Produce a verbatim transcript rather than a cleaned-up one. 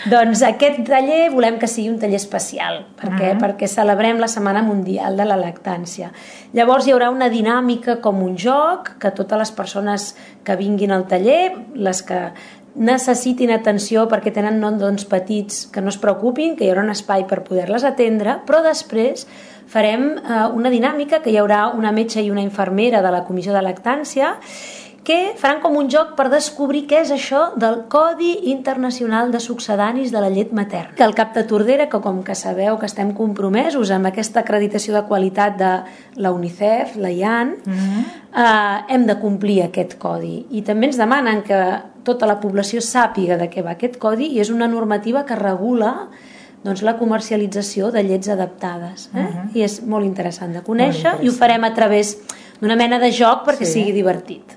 Doncs aquest taller volem que sigui un taller especial, perquè, uh-huh. perquè celebrem la Setmana Mundial de la Lactància. Llavors hi haurà una dinàmica com un joc, que totes les persones que vinguin al taller, les que necessitin atenció perquè tenen noms petits, que no es preocupin, que hi haurà un espai per poder-les atendre, però després farem eh, una dinàmica que hi haurà una metge i una infermera de la Comissió de Lactància que faran com un joc per descobrir què és això del Codi Internacional de Succedanis de la Llet Materna. Que el Cap de Tordera, que com que sabeu que estem compromesos amb aquesta acreditació de qualitat de la UNICEF, la I A N, mm-hmm. eh, hem de complir aquest codi. I també ens demanen que tota la població sàpiga de què va aquest codi i és una normativa que regula doncs, la comercialització de llets adaptades. Eh? Uh-huh. I és molt interessant de conèixer i ho farem a través d'una mena de joc perquè sí. sigui divertit.